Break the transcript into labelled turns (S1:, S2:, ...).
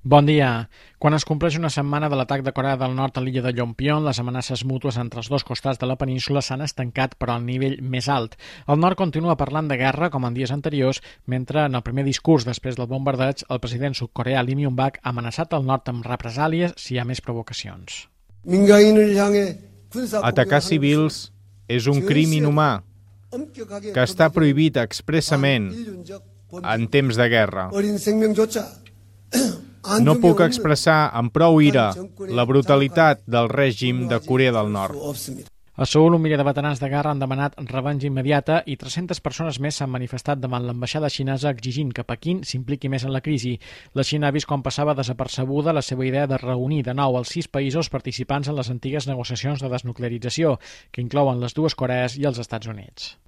S1: Bon dia. Quan es compleix una setmana de l'atac de Corea del Nord a l'illa de Yongbyon, les amenaces mútues entre els dos costats de la península s'han estancat però al nivell més alt. El nord continua parlant de guerra, com en dies anteriors, mentre en el primer discurs després del bombardeig, el president sud-coreà Lee Myung-bak ha amenaçat el nord amb represàlies si hi ha més provocacions.
S2: Atacar civils és un crim inhumà que està prohibit expressament en temps de guerra. No puc expressar amb prou ira la brutalitat del règim de Corea del Nord.
S1: A Seül, 1 milió de veterans de guerra han demanat revenja immediata i 300 persones més s'han manifestat davant l'ambaixada xinesa exigint que Pequín s'impliqui més en la crisi. La Xina ha vist com passava desapercebuda la seva idea de reunir de nou els 6 països participants en les antigues negociacions de desnuclearització, que inclouen les dues Corees i els Estats Units.